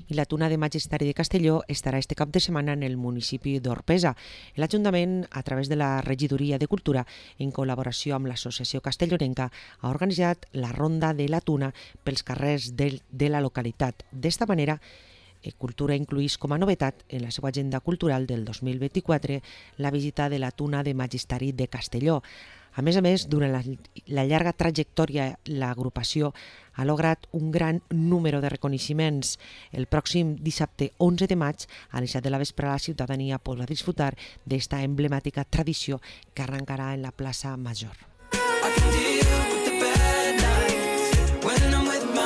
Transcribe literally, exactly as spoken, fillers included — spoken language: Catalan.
I la Tuna de Magisteri de Castelló estarà este cap de setmana en el municipi d'Orpesa. L'Ajuntament, a través de la Regidoria de Cultura, en col·laboració amb l'Associació Castellonenca, ha organitzat la Ronda de la Tuna pels carrers de, de la localitat. D'esta manera, Cultura incluís com a novetat en la seva agenda cultural del dos mil vint-i-quatre la visita de la Tuna de Magisteri de Castelló. A més a més, durant la, la llarga trajectòria, l'agrupació ha lograt un gran número de reconeixements. El pròxim dissabte onze de maig, a les set de la vespre, la ciutadania podrà disfrutar d'esta emblemàtica tradició que arrencarà en la plaça Major.